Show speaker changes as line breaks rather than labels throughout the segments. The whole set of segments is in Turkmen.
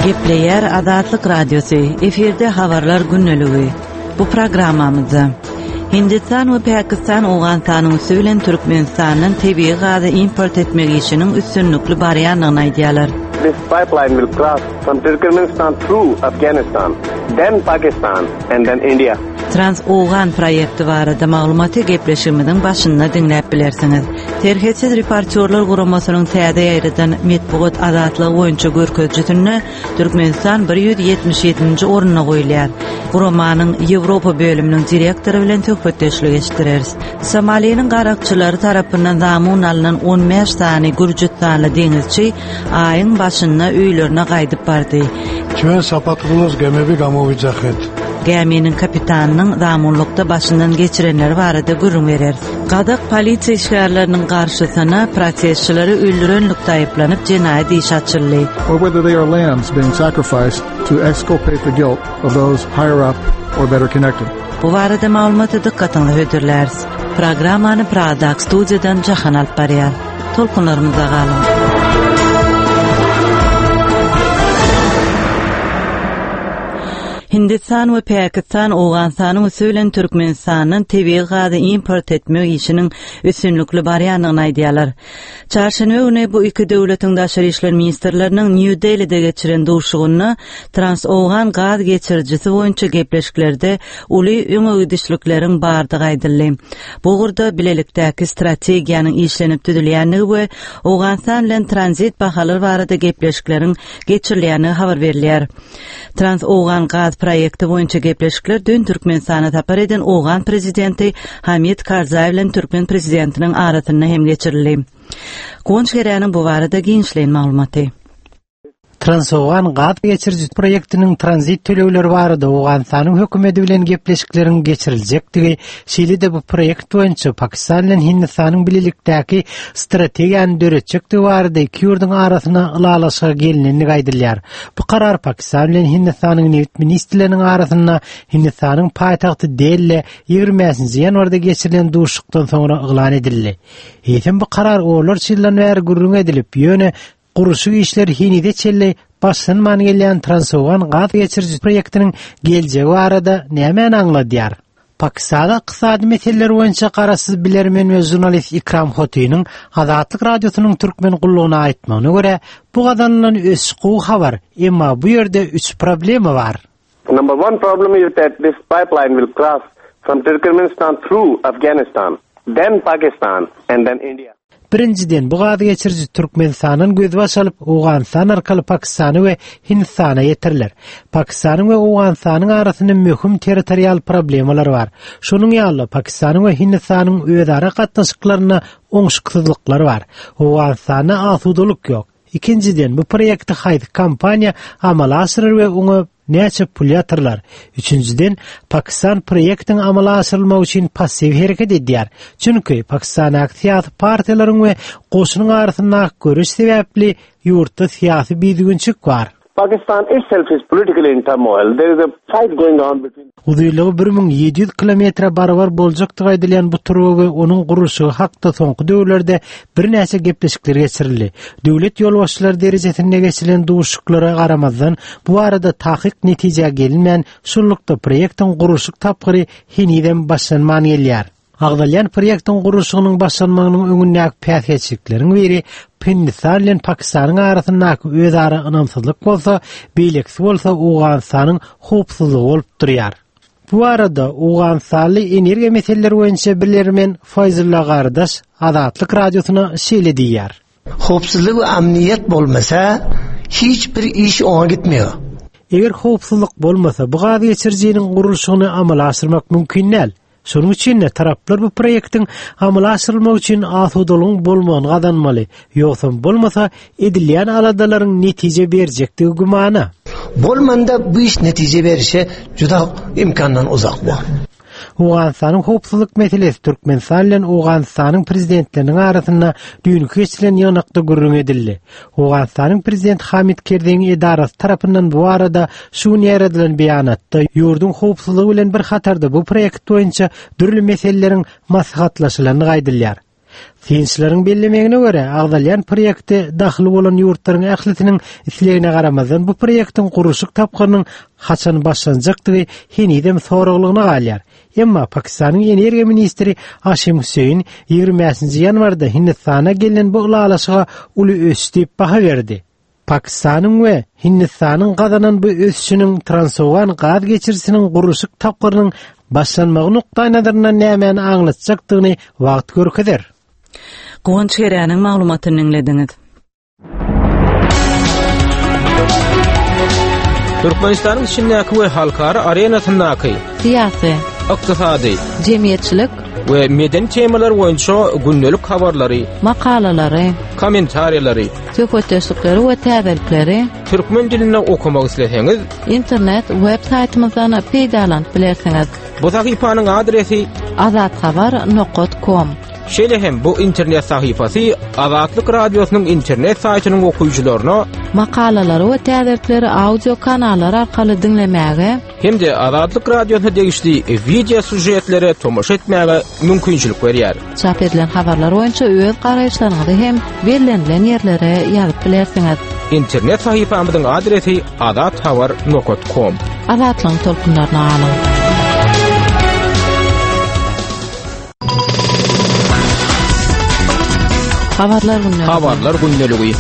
Gepleýär Azatlyk Radiosy, efirde habarlar gündeligi. Bu programmamyzda Hindistan we Pakistan Owganystanyň üsti bilen Türkmenistandan tebigy gazy import etmek işiniň üstünlikli barýandygyny aýdýarlar.
This pipeline will cross from Turkmenistan through Afghanistan, then Pakistan and then India.
Trans-Owgan proýekti barada maglumaty gepleşigimiziň başynda diňläp bilersiňiz. Serhetsiz reportýorlar guramasynyň täze ýaýradan metbugat azatlygy boýunça görkezijisinde Türkmenistan 177-nji orunda goýulýar. Guramanyň Ýewropa bölüminiň direktory bilen söhbetdeşlik eşitdireris. Somaliniň garakçylary tarapyndan zamun alnan 15 sany gürjüstanly deňizçi aýyň başynda öýlerine gaýdyp bardy.
Ჩვენ საპატრონოს გემები გამოვიძახეთ.
Gäminiň kapitanynyň zamunlykda başyndan geçirenleri barada gürrüň bereris. Gazak polisiýa işgärleriniň garşysyna protestçileri öldürenlikde aýyplanyp jenaýat işi açyldy.
Or whether they are lambs being sacrificed to exculpate the guilt of those higher up or better connected.
Bu barada maglumaty dykgatyňyza hödürläris. Programmany Pragadaky studiýadan Jahan alyp barýar. Tolkunlarymyzda galyň. Hindistan we Pakistan Owganystanyň üsti bilen Türkmenistandan tebigy gazy import etmek işiniň üstünlikli barýandygyny aýdýarlar. Çarşenbe güni bu iki döwletiň daşary işler ministrleriniň Nýu-Delide geçiren duşuşygynda Trans-Owgan gaz geçirijisi boýunça gepleşiklerde uly öňegidişlikleriň bardygy aýdyldy. Bu ugurda bilelikdäki strategiýanyň işlenip düzülýändigi we Owganystan bilen tranzit bahalar barada gepleşikleriň geçirilýändigi habar berilýär. Trans-Owgan gaz proýekti boýunça gepleşikler düýn Türkmenistana sapar eden owgan prezidenti Hamid Karzaý bilen türkmen prezidentiniň arasynda hem geçirildi. Guwanç Geräniň bu barada giňişleýin maglumaty.
Transowgan gaz geçiriji proýektiniň tranzit tölegleri barada Owganystanyň hökümeti bilen gepleşikleriň geçiriljekdigi, şeýle-de bu proýekt boýunça Pakistan bilen Hindistanyň bilelikdäki strategiýany döretjekdigi barada iki ýurduň arasynda ylalaşyga gelnendigi aýdylýar. Bu karar Pakistan bilen Hindistanyň nebit ministrleriniň arasynda Hindistanyň paýtagty Delide 25-nji ýanwarda geçirilen duşuşykdan soňra yglan edildi. Eýsem bu karar onlarça ýyldan bäri gürrüň edilip, ýöne gurluşyk işleri henize çenli başlanman gelýän Transowgan gaz geçiriji proýektiniň geljegi barada nämäni aňladýar? Pakistanda ykdysady meseleler boýunça garaşsyz bilermen we žurnalist Ikram Hotiniň Azatlyk Radiosynyň türkmen gullugyna aýtmagyna görä, bu gazanylan ösüş gowy habar, emma bu ýerde üç problema bar.
Number one problem is that this pipeline will cross from Turkmenistan through Afghanistan, then Pakistan and then India.
Birinjiden, bu gaz geçiriji Türkmenistandan gözbaş alyp, Owganystan arkaly Pakistana we Hindistana ýetiriler. Pakistanyň we Owganystanyň arasynda möhüm territorial problemalar bar. Şonuň ýaly-da, Pakistanyň we Hindistanyň özara gatnaşyklarynda oňşuksyzlyklar bar. Owganystanda asudalyk ýok. Ikinjiden, bu proýekti haýsy kompaniýa amala aşyrar we oňa näçe pul ýatyrylar? Üçünjiden, Pakistan proýektiň amala aşyrylmagy üçin passiw hereket edýär. Çünki, Pakistandaky syýasy partiýalaryň we goşunyň arasyndaky göreş sebäpli ýurtda syýasy bidügünçik bar.
Pakistan itself is politically in turmoil. There is a fight going on between
Uzynlygy 1700 kilometre barabar boljakdygy aýdylýan bu turba we onuň gurluşygy hakda soňky döwürlerde birnäçe gepleşikler geçirildi. Döwlet ýolbaşçylary derejesinde geçirilen duşuşyklara garamazdan, bu barada takyk netijä gelinmän, şunlukda proýektiň gurluşyk tapgyry henizem başlanman gelýär. Agzalýan proýektiň gurluşygynyň başlanmagynyň öňündäki päsgelçilikleriň biri Hindistan bilen Pakistanyň arasyndaky özara ynamsyzlyk bolsa, beýlekisi bolsa Owganystanyň howpsuzlygy bolup durýar. Bu barada owganystanly energiýa meseleleri boýunça bilermen Faýzulla Gardaş Azatlyk Radiosyna şeýle diýýär.
Howpsuzlyk we amniýet bolmasa, hiç bir iş oňa gitmeýär.
Eger howpsuzlyk bolmasa, bu gaz geçirijiniň gurluşygyny amala aşyrmak mümkin däl. Şonuň üçin-de taraplar bu proýektiň amala aşyrylmagy üçin asudalygyň bolmagyny gazanmaly. Ýogsam bolmasa, edilýän aladalaryň netije berjekdigi gümana.
Bolmanda bu iş netije berişe juda imkandan uzak bor.
Owganystanyň howpsuzlyk meselesi Türkmenistan bilen Owganystanyň prezidentleriniň arasynda düýnki geçirilen ýygnakda gürrüň edildi. Owganystanyň prezidenti Hamid Kerzeýiň edarasy tarapyndan bu barada şu gün ýaýradylan beýanatda ýurduň howpsuzlygy bilen bir hatarda bu proýekt boýunça dürli meseleleriň maslahatlaşylandygy aýdylýar. Synçylaryň bellemegine görä, agzalýan proýekte dahyly bolan ýurtlaryň ählisiniň islegine garamazdan bu proýektiň gurluşyk tapgyrynyň haçan başlanjakdygy henizem soraglygyna galýar. Emma Pakistanyň energiýa ministri Aşim Hüseýin 25-nji ýanwarda Hindistana gelnen bu ylalaşyga uly ösüş diýip baha berdi. Pakistanyň we Hindistanyň gazanan bu ösüşiniň Transowgan gaz geçirijisiniň gurluşyk tapgyrynyň başlanmagy nukdaýnazaryndan nämäni aňlatjakdygyny wagt görkezer.
Guwanç Geräniň maglumatyny diňlediňiz.
Türkmenistanyň içindäki we halkara arenasyndaky
syýasy,
ykdysady,
jemgyýetçilik
we medeni temalar boýunça gündelik habarlary,
makalalary,
kommentariýalary,
söhbetdeşlikleri we täzelikleri
türkmen dilinde okamak isleseňiz,
internet web saýtymyzdan peýdalanyp bilersiňiz.
Bu sahypanyň adresi
azathabar nokat kom.
Şeýle hem bu internet sahypasy Azatlyk Radiosynyň internet saýtynyň okyjylaryna
makalalary we täzelikleri audio kanallar arkaly diňlemäge
hem-de Azatlyk Radiosyna degişli wideo sýužetlere tomaşa etmäge mümkinçilik berýär.
Çap edilen habarlar boýunça öz garaýyşlaryňyzy hem bellenilen ýerlere ýazyp bilersiňiz.
Internet sahypamyzyň adresi azathabar nokat kom.
Azatlygyň tolkunlaryna galyň! Habarlar gündeligi.
Habarlar gündeligi.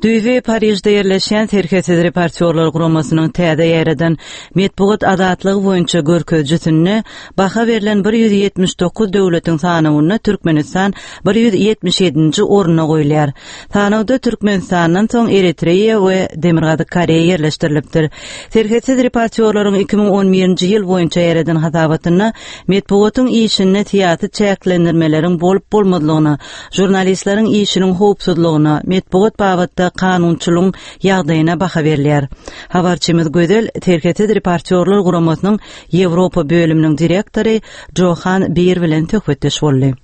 Düýbi Parižde ýerleşýän Serhetsiz reportýorlar guramasynyň täze ýaýradan metbugat azatlygy boýunça görkezijisinde baha berlen 179 döwletiň sanawynda Türkmenistan 177-nji orunda goýulýar. Sanawda Türkmenistandan soň Eritreýa we Demirgazyk Koreýa ýerleşdirilipdir. Serhetsiz reportýorlaryň 2011-nji ýyl boýunça ýaýradan hasabatynda metbugatyň işinde syýasy çäklendirmeleriň bolup-bolmazlygyna, žurnalistleriň işiniň howpsuzlygyna, metbugat babatda kanunçylygyň ýagdaýyna baha berilýär. Habarçymyz Gözel Serhetsiz reportýorlar guramasynyň Ýewropa bölüminiň direktory Johan Bir bilen söhbetdeş boldy.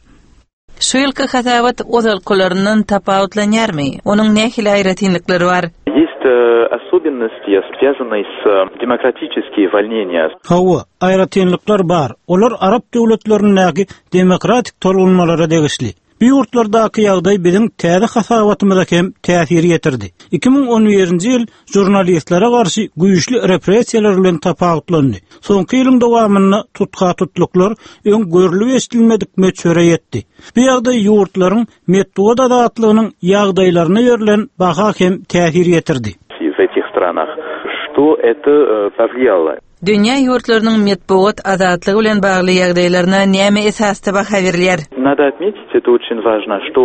Şu ýylky hasabat ozalkylaryndan tapawutlanýarmy? Onuň nähili aýratynlyklary bar?
Есть особенности, связанные с демократические волнения.
Hawa, aýratynlyklar bar. Olar arap döwletlerindäki demokratik tolgunmalara degişli. Bu ýurtlardaky ýagdaý biziň täze hasabatymyza hem täsir ýetirdi. 2011-nji ýyl žurnalistlere garşy güýçli repressiýalar bilen tapawutlandy. Soňky ýylyň dowamynda tutha-tutluklar öň görlüp-eşidilmedik möçbere ýetdi. Bu ýagdaý ýurtlaryň metbugat azatlygynyň ýagdaýlaryna berlen baha hem täsir ýetirdi.
В этих странах, что это повлияло.
Dünýä ýurtlarynyň metbugat azatlygy bilen bagly ýagdaýlaryna näme esasda baha berilýär?
Надо отметить, это очень важно, что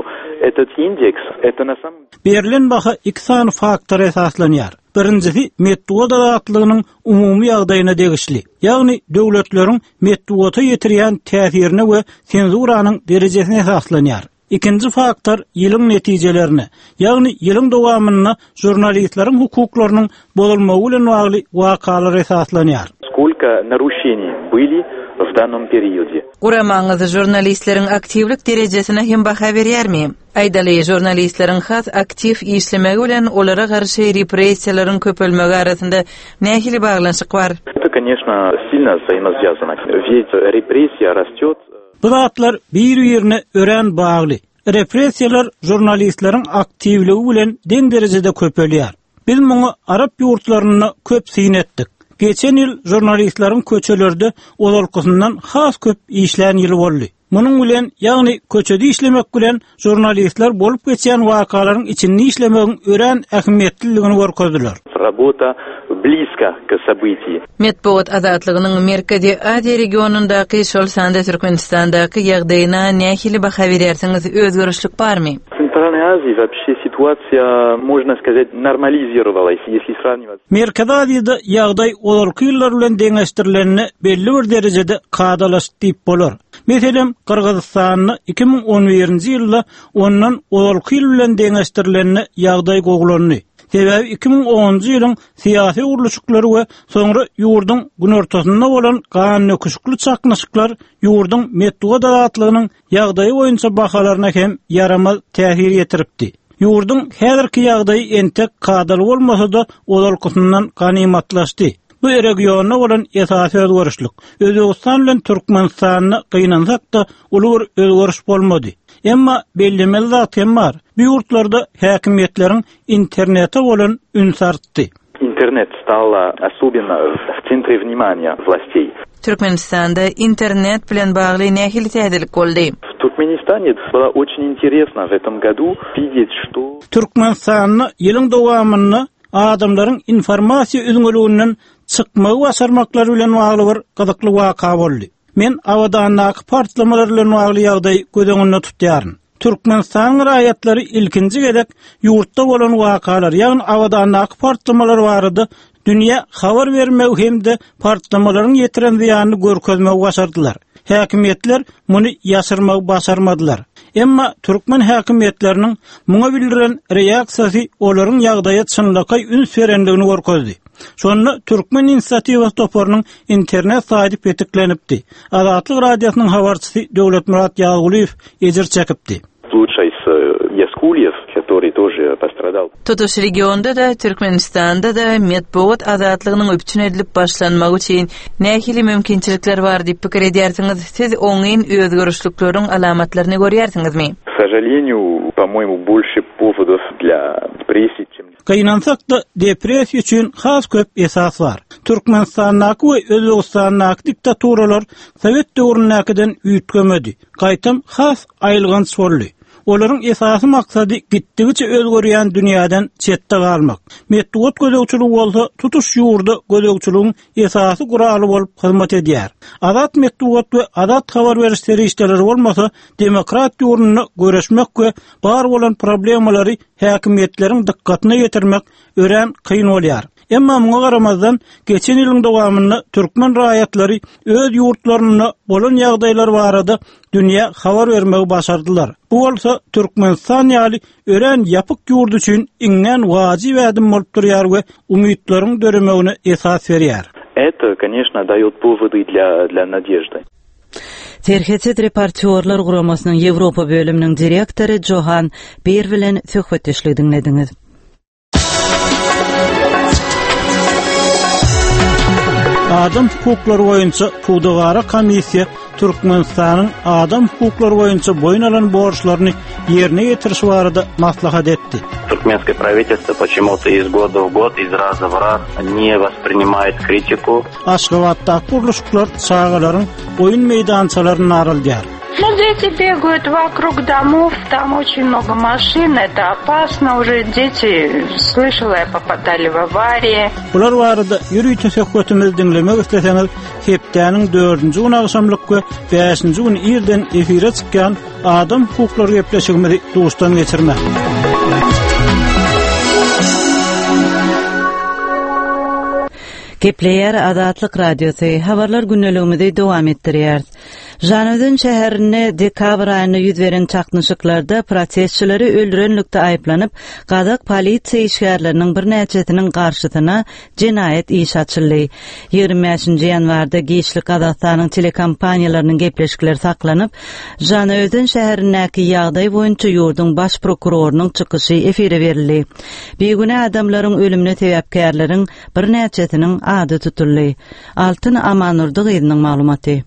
этот индекс, это на самом.
Berlen baha iki sany faktora esaslanýar. Birinjisi metbugat azatlygynyň umumy ýagdaýyna degişli, ýagny döwletleriň metbugata ýetirýän täsirine we senzuranyň derejesine esaslanýar. Ikinji faktor ýylyň netijelerine, ýagny ýylyň dowamynda žurnalistleriň hukuklarynyň bozulmagy bilen bagly wakalara esaslanýar.
Skolko naruşeniý byli w dannom periode?
Guramaňyz žurnalistleriň aktiwlik derejesine hem baha berýärmi? Aýdaly, žurnalistleriň has aktiw işlemegi bilen olara garşy repressiýalaryň köpelmegi arasynda nähili baglanyşyk bar?
Eto, koneçno, silno wzaimoswýazano. Wýet repressiýa rastýot.
Bu zatlar bir-birine örän bagly. Repressiýalar žurnalistleriň aktiwligi bilen deň derejede köpelýär. Biz muňa arap ýurtlarynda köp syn etdik. Geçen ýyl žurnalistleriň köçelerde ozalkysyndan has köp işlän ýyly boldy. Munuň bilen, ýagny köçede işlemek bilen žurnalistler bolup geçýän wakalaryň içinde işlemegiň örän ähmiýetliligini görkezdiler.
Rabota blizko k sobytiý.
Metbugat azatlygynyň Merkezi Aziýa regionyndaky, şol sanda Türkmenistandaky ýagdaýyna nähili baha berýärsiňiz, özgerişlik barmy?
W Centralnej Azii вообще ситуация, можно сказать, нормализировалась, если сравнивать.
Merkezi Aziýada ýagdaý ozalky ýyllar bilen deňeşdirilende belli bir derejede kadalaşdy diýip bolar. Meselem, Gyrgyzystanda 2011-nji ýylda ondan ozalky ýyl bilen deňeşdirilende ýagdaý gowulandy. Sebäbi 2010-njy ýylyň syýasy gurluşyklary we soňra ýurduň günortasynda bolan gandöküşikli çaknyşyklar ýurduň metbugat azatlygynyň ýagdaýy boýunça bahalaryna hem ýaramaz täsir ýetiripdi. Ýurduň häzirki ýagdaýy entek kadaly bolmasa-da, ozalkysyndan ganymatlaşdy. Bu regionda bolan esasy özgerişlik. Özbegistan bilen Türkmenistanda gynansak-da uly bir özgeriş bolmady. Emma bellemeli zat hem bar, bu ýurtlarda häkimiýetleriň internete bolan ünsi artdy.
Internet stala osobenno w centre vnimaniýa włastey.
Türkmenistanda internet bilen bagly nähili täzelik boldy?
W Turkmenistane bylo oçin interesno w etom godu widet, çto.
Türkmenistanda ýylyň dowamynda adamlaryň informasiýa üzňeliginden çykmagy başarmaklary bilen bagly bir gyzykly waka boldy. Men Abadandaky partlamalar bilen bagly ýagdaýy göz öňünde tutýaryn. Türkmenistanyň raýatlary ilkinji gezek ýurtda bolan wakalar, ýagny Abadandaky partlamalar barada dünýä habar bermegi hem-de partlamalaryň ýetiren zyýanyny görkezmegi başardylar. Häkimiýetler muny ýaşyrmagy başarmadylar. Emma türkmen häkimiýetleriniň muňa bildiren reaksiýasy olaryň ýagdaýa çynlakaý üns berendigini görkezdi. Şonda Türkmen inisiatiwasy toparynyň internet saýty petiklenipdi. Azatlyk Radiosynyň habarçysy Döwletmyrat Ýazgulyýew ejir çekipdi.
Slučaj s Ýazkulyýew, kotoryý tože postradal.
Tutuş regionda-da, Türkmenistanda-da metbugat azatlygynyň üpjün edilip başlanmagy üçin nähili mümkinçilikler bar diýip pikir edýärsiňiz? Siz oňyn özgerişlikleriň alamatlaryny görýärsiňizmi?
K sožaleniýu, po-moýemu, bolşe powodow dlýa depressiýi, çem.
Gynansak-da, depressiýa üçin has köp esas bar. Türkmenistandaky we Özbegistandaky diktaturalar sowet döwründäkiden üýtgemedi, gaýtam has aýylganç boldy. Olaryň esasy maksady gitdigiçe özgerýän dünýäden çetde galmak. Metbugat gözegçiligi bolsa tutuş ýurda gözegçiligiň esasy guraly bolup hyzmat edýär. Azat metbugat we azat habar beriş serişdeleri bolmasa, demokrat ýurdunda göreşmek we bar bolan problemalary häkimiýetleriň dykgatyna ýetirmek örän kyn bolýar. Emma muňa garamazdan, geçen ýylyň dowamynda türkmen raýatlary öz ýurtlarynda bolan ýagdaýlar barada dünýä habar bermegi başardylar. Bu bolsa Türkmenistan ýaly örän ýapyk ýurt üçin iňňän wajyp ädim bolup durýar we umytlaryň döremegine esas berýär.
Eto, koneçno, daýot powody dlýa dlýa nadeždy.
Serhetsiz reportýorlar guramasynyň Ýewropa bölüminiň direktory Johan Bir bilen söhbetdeşligi diňlediňiz.
Adam hukuklary boýunça pudagara komissiýa Türkmenistanyň adam hukuklary boýunça boýun alan borçlaryny ýerine ýetirişi barada maslahat etdi.
Туркменское правительство почему-то из года в год, из раза в раз не воспринимает критику.
Aşgabatdaky gurluşyklar çagalaryň oýun meýdançalaryny daraldýar.
Ну, дети бегают вокруг домов, там очень много машин, это опасно уже. Дети, слышала я, попадали в аварии.
Bular barada ýörite söhbetimizi diňlemek isleseňiz, hepdäniň dördünji güni agşamlyk we bäşinji güni irden efire çykýan Adam hukuklary gepleşigimizi duşdan geçirmäň.
Gepleýär Azatlyk Radiosy, habarlar gündeligimizi dowam etdirýäris. Žanaözen şäherinde dekabr aýynda ýüz beren çaknyşyklarda protestçileri öldürenlikde aýyplanyp, gazak polisiýa işgärleriniň birnäçesiniň garşysyna jenaýat işi açyldy. 25-nji ýanwarda giçlik Gazagystanyň telekompaniýalarynyň gepleşikleri saklanyp, Žanaözen şäherindäki ýagdaý boýunça ýurduň baş prokurorynyň çykyşy efire berildi. Bigünä adamlaryň ölümine sebäpkärleriň birnäçesiniň ady tutuldy. Altyn Amandurdy gyzynyň maglumaty.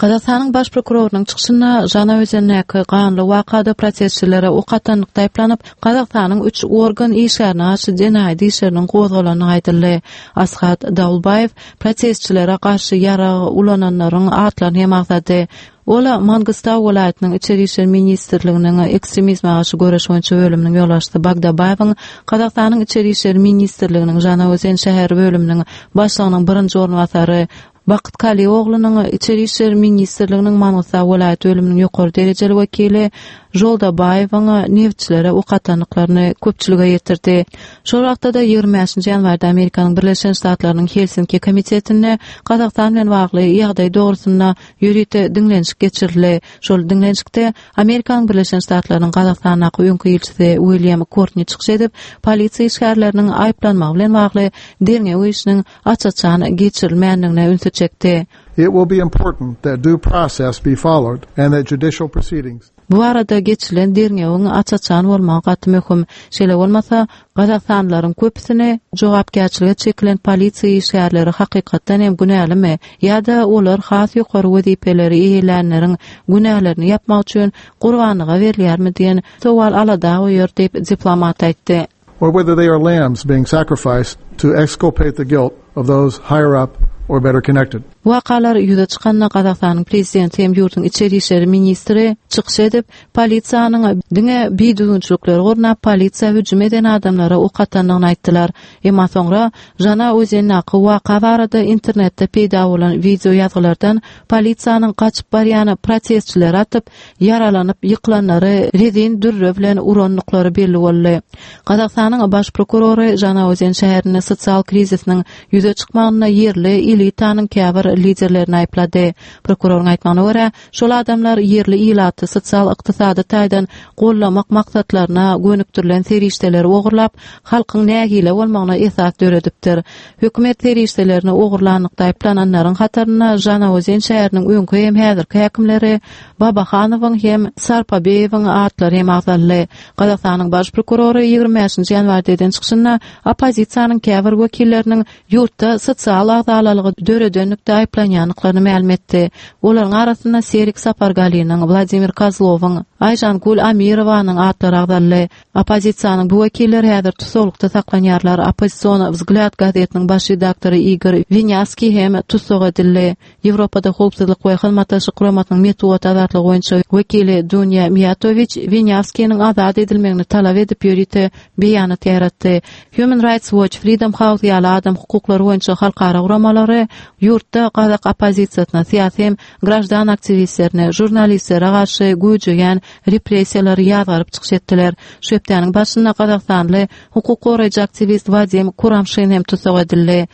Gazagystanyň baş prokurorynyň çykyşynda Žanaözendäki ganly wakada protestçilere ok atanlykda aýyplanyp, Gazagystanyň üç organ işgärine garşy jenaýat işleriniň gozgalandygy aýdyldy. Ashat Daulbaýew protestçilere garşy ýarag ulananlaryň atlaryny hem agzady. Ol Mangystau welaýatynyň Içeri işler ministrliginiň ekstremizme garşy göreş boýunça bölüminiň ýolbaşçysy Bagdabaýewiň Gazagystanyň Içeri işler ministrliginiň Žanaozen şäheri bölüminiň başlygynyň birinji orunbasary. Bakyt Kalioglunyň Içeri işler ministrliginiň Mangystau welaýat bölüminiň ýokary derejeli wekili Žoldabaýewiň nebitçilere ok atandyklaryny köpçülige ýetirdi. Şol wagtda-da 25-nji ýanwarda Amerikanyň Birleşen Ştatlarynyň Helsinki komitetinde Gazagystan bilen bagly ýagdaý dogrusynda ýörite diňlenişik geçirildi. Şol diňlenişikde Amerikanyň Birleşen Ştatlarynyň Gazagystandaky öňki ilçisi Uilýam Kortni çykyş edip, polisiýa işgärleriniň aýyplanmagy bilen bagly derňew işiniň aç-açan geçirilmändigine ünsi çekdi.
It will be important that due process be followed and that judicial proceedings.
Bu barada geçirilen derňewiň aç-açan bolmagy gaty möhüm. Şeýle bolmasa, gazagystanlylaryň köpüsini jogapkärçilige çekilen polisiýa işgärleri hakykatdan hem günälimi ýa-da olar has ýokary wezipeleri eýelänleriň günälerini ýapmak üçin gurbanlyga berilýärmi diýen sowal alada goýar diýip, diplomat aýtdy.
Or whether they are lambs being sacrificed to exculpate the guilt of those higher up or better connected.
Bu wakalar ýüze çykanda Gazagystanyň prezidenti hem ýurduň içeri işleri ministri çykyş edip, polisiýanyň diňe bidüzgünçilikleri gurnap polisiýa hüjüm eden adamlara ok atandygyny aýtdylar. Emma soňra Žanaozendäki waka barada internetde peýda bolan wideo ýazgylardan polisiýanyň gaçyp barýan protestçileri atyp, ýaralanyp ýykylanlary rezin dürre bilen urandyklary belli boldy. Gazagystanyň baş prokurory Žanaozen şäherinde sosial krizisiniň ýüze çykmagynda ýerli elitanyň käbir liderlerini aýyplady. Prokuroryň aýtmagyna görä, şol adamlar ýerli ilaty sosial-ykdysady taýdan goldamak maksatlaryna gönükdirilen serişdeleri ogurlap, halkyň nägile bolmagyna esas döredipdir. Hökümet serişdelerini ogurlanlykda aýyplananlaryň hatarynda Žanaozen şäheriniň öňki hem häzirki häkimleri Babahanowyň hem Sarpabeýewiň atlary hem agzaldy. Gazagystanyň baş prokurory 25-nji ýanwarda eden çykyşynda oppozisiýanyň käbir wekilleriniň ýurtda sosial agzalalygy döredenlikde aýyplanýandyklaryny mälim etdi. Olaryň arasynda Serik Sapargaliniň, Wladimir Kozlowyň, Aýžangül Amirowanyň atlary agzaldy. Oppozisiýanyň bu wekilleri häzir tussaglykda saklanýarlar. Oppozision Wzglýad gazetiniň baş redaktory Igor Winýaskiý hem tussag edildi. Ýewropada Howpsuzlyk we Hyzmatdaşlyk Guramasynyň metbugat azatlygy boýunça wekili Dunýa Miýatowiç Winýawskiniň azat edilmegini talap edip ýörite beýanat ýaýratdy. Human Rights Watch, Freedom House ýaly adam hukuklary boýunça halkara guramalary ýurtda gazak oppozisiýasyna, syýasy hem graždan aktiwistlerine, žurnalistlere garşy güýjeýän repressiýalary ýazgaryp çykyş etdiler. Şu hepdäniň başynda gazagystanly hukuk goraýjy aktiwist Wadim Kuramşin hem tussag edildi.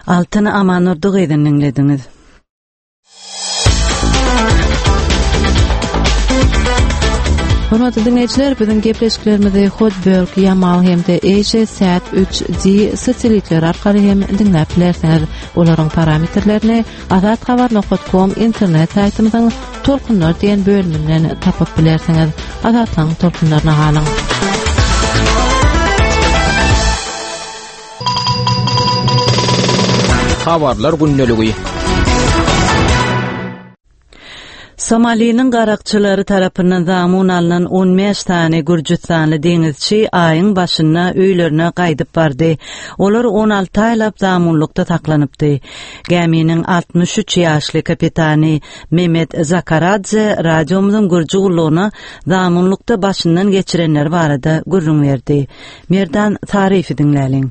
Altyn Amandurdy gyzyny diňlediňiz.
Hormatly diňleýjiler, biziň gepleşiklerimizi Hotbird, Yamal hem-de Asia Sat 3D satelitleri arkaly hem diňläp bilersiňiz. Olaryň parametrlerini Azathabar.com internet saýtymyzyň Tolkunlar diýen bölüminden tapyp bilersiňiz. Azatlygyň tolkunlaryna galyň.
Habarlar gündeligi.
Somaliniň garakçylary tarapyndan zamun alnan 15 sany gürjüstanly deňizçi aýyň başynda öýlerine gaýdyp bardy. Olar 16 aýlap zamunlykda saklanypdy. Gäminiň 63 ýaşly kapitany Mehmet Zakaradze radiomyzyň gürji gullugyna zamunlykda başyndan geçirenleri barada gürrüň berdi. Merdan Saryýewi diňläliň.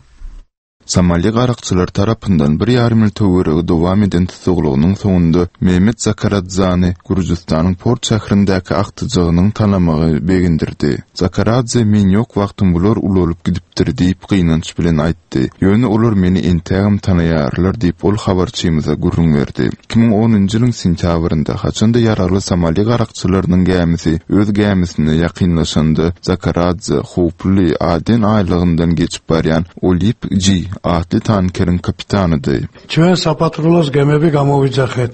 Somali garakçylary tarapyndan bir ýarym ýyl töweregi dowam eden tussaglygynyň soňunda Mehmet Zakaradzany Gürjüstanyň port şäherindäki agtyjagynyň tanamagy begendirdi. Zakaradze men ýok wagtym bular ulalyp gidipdir diýip gynanç bilen aýtdy. Ýöne olar meni entägem tanaýarlar diýip ol habarçymyza gürrüň berdi. 2010-njy ýylyň sentýabrynda, haçan-da ýaragly somali garakçylarynyň gämisi öz gämisine ýakynlaşanda Zakaradze howply Aden aýlagyndan geçip barýan Olip G atly tankeriň kapitanydy.
Ჩვენ საპატრულოს გემები გამოვიძახეთ.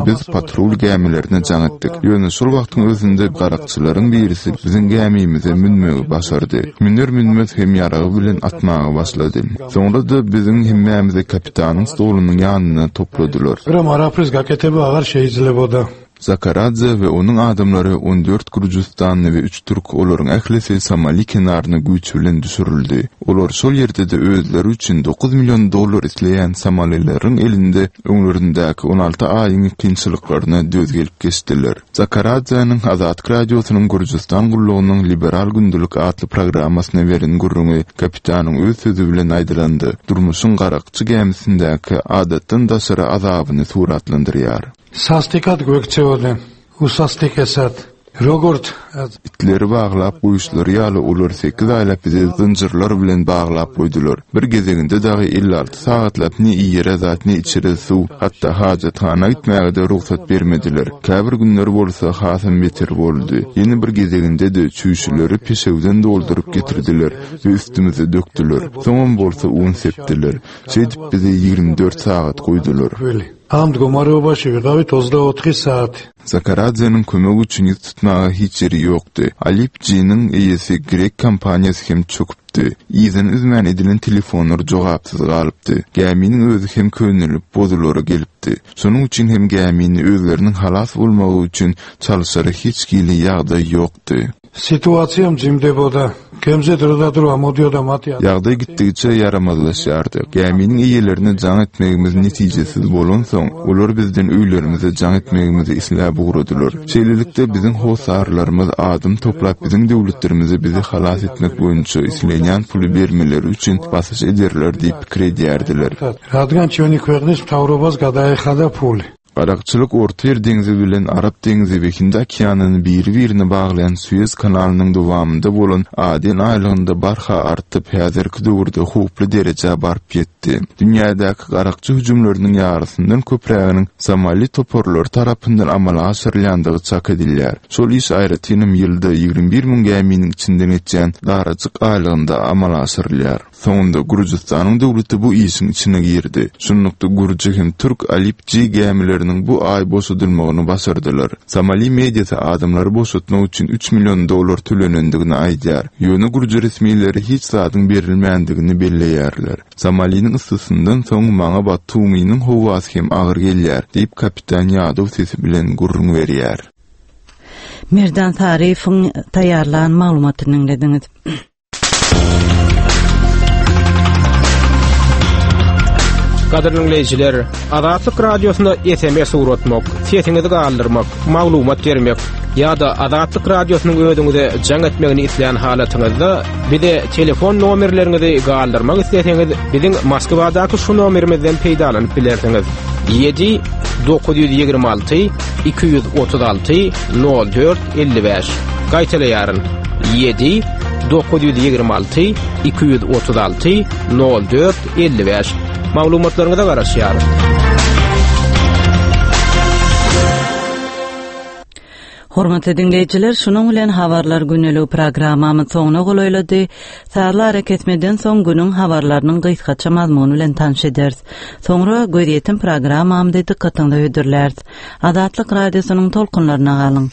Biz patrul gämilerine jaň etdik. Ýöne şol wagtyň özünde garakçylaryň birisi biziň gämimize münmegi başardy. Müner-münmez hem ýaragy bilen atmaga başlady. Soňra-da biziň hemmämizi kapitanyň stolunyň ýanyna topladylar.
მაგრამ არაფრის გაკეთება აღარ შეიძლებოდა.
Zakaradze we onuň adamlary 14 gürjüstanly we üç türk olaryň ählisi Somali kenaryna güýç bilen düşürildi. Olar şol ýerde-de özleri üçin 9 million dollar isleýän somalileriň elinde öňlerindäki 16 aýyň kynçylyklaryna döz gelip geçdiler. Zakaradzäniň Azatlyk Radiosynyň Gürjüstan gullugynyň Liberal gündelik atly programmasyna beren gürrüňi kapitanyň öz sözi bilen aýdylanda, durmuşyň garakçy gämisindäki adatdan daşary azabyny suratlandyrýar.
Sastikat gökçeoden, usastikesat, Rogurt.
Itleri baglap goýuşlary ýaly olar sekiz aýlap bizi zynjyrlar bilen baglap goýdular. Bir gezeginde dagy 56 sagatlap ne iýere zat, ne içere suw, hatda hajathana gitmäge-de rugsat bermediler. Käbir günler bolsa hasam beter boldy. Ýene bir gezeginde-de çüýşeleri peşewden dolduryp getirdiler we üstümize dökdüler. Soňam bolsa un sepdiler. Şeýdip bizi 24 sagat goýdular.
ამ მდგომარეობაში ვიყავით 24 საათი.
Zakaradzeniň kömek üçin ýüz tutmaga hiç ýeri ýokdy. Alip G-niň eýesi grek kompaniýasy hem çöküpdi. Yzyny üzmän edilen telefonlar jogapsyz galypdy. Gäminiň özi hem könelip, bozulara gelipdi. Şonuň üçin hem gämini özleriniň halas bolmagy üçin çalyşara hiç hili ýagdaý ýokdy.
სიტუაცია მძიმდებოდა. გემზე დრო და დრო ამოდიოდა მათი
Ýagdaý gitdigiçe ýaramazlaşýardy. Gäminiň eýelerine jaň etmegimiz netijesiz bolansoň, olar bizden öýlerimize jaň etmegimizi isläp ugradylar. Şeýlelikde biziň hossarlarymyz adam toplap biziň döwletlerimize bizi halas etmek boýunça islenýän puly bermeleri üçin basyş ederler diýip pikir edýärdiler.
რადგან ჩვენი ქვეყნის მთავრობას გადაეხადა ფული.
Garakçylyk Ortaýer deňzi bilen Arap deňzi we Hindi okeanyny biri-birine baglaýan Suez kanalynyň dowamynda bolan Aden aýlagynda barha artyp, häzirki döwürde howply derejä baryp ýetdi. Dünýädäki garakçy hüjümleriniň ýarysyndan köpräginiň Somali toparlary tarapyndan amala aşyrylýandygy çak edilýär. Şol iş aýratynam ýylda 21 müň gäminiň içinden geçýän darajyk aýlagynda amala aşyrylýar. Soňunda Gürjüstanyň döwleti bu işiň içine girdi. Şunlukda gürji hem türk Alip G gämileriniň bu aý boşadylmagyny başardylar. Somali mediasy adamlary boşatmak üçin 3 million dollar tölenendigini aýdýar. Ýöne gürji resmileri hiç zadyň berilmändigini belleýärler. Somaliniň yssysyndan soň maňa Batuminiň howasy hem agyr gelýär, diýip kapitan ýadaw sesi bilen gürrüň berýär.
Merdan Saryýewiň taýýarlan maglumatyny diňlediňiz.
Gadyrly diňleýjiler, Azatlyk Radiosyna SMS ugratmak, sesiňizi galdyrmak, maglumat bermek ýa-da Azatlyk Radiosynyň özüňize jaň etmegini islän halatyňyzda bize telefon nomerleriňizi galdyrmak isleseňiz, biziň Moskwadaky şu nomerimizden peýdalanyp bilersiňiz. 7 926 236 04 55. Gaýtalaýaryn. 7 926 236 04 55. Maglumatlaryňyza garaşýarys.
Hormatly diňleýjiler, şunuň bilen habarlar güneligi programmamyz soňuna golaýlady. Sazly arakesmeden soň günüň habarlarynyň gysgaça mazmuny bilen tanyş ederis. Soňra gözýetim programmamyzy dykgatyňyza hödürläris. Azatlyk Radiosynyň tolkunlaryna galyň.